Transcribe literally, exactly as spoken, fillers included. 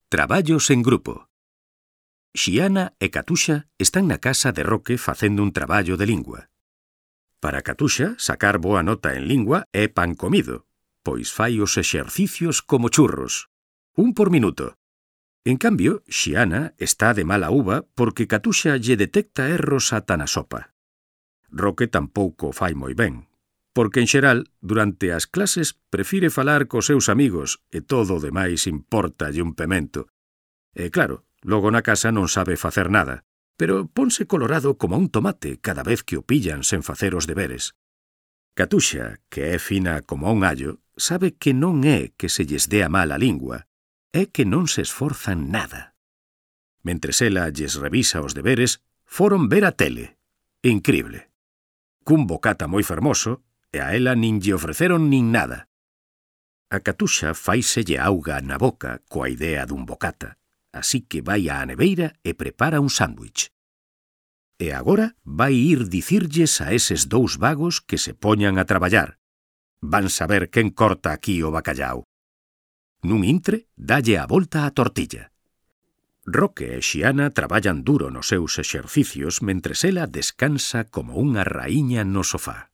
Traballos en grupo. Xiana e Catuxa están na casa de Roque facendo un traballo de lingua. Para Catuxa, sacar boa nota en lingua é pan comido, pois fai os exercicios como churros, un por minuto. En cambio, Xiana está de mala uva porque Catuxa lle detecta erros ata na sopa. Roque tampouco fai moi ben, porque en xeral, durante as clases, prefire falar cos seus amigos e todo o demais importalle un pemento. E claro, logo na casa non sabe facer nada, pero ponse colorado como un tomate cada vez que o pillan sen facer os deberes. Catuxa, que é fina como un allo, sabe que non é que se lles dea mal a lingua, é que non se esforzan nada. Mentres ela lles revisa os deberes, foron ver a tele. Incrible. Cun bocata moi fermoso, e a ela nin lle ofreceron nin nada. A Catuxa faiselle auga na boca coa idea dun bocata, así que vai á neveira e prepara un sándwich. E agora vai ir dicirlles a eses dous vagos que se poñan a traballar. Van saber quen corta aquí o bacallau. Nun intre, dalle a volta á tortilla. Roque e Xiana traballan duro nos seus exercicios mentres ela descansa como unha raíña no sofá.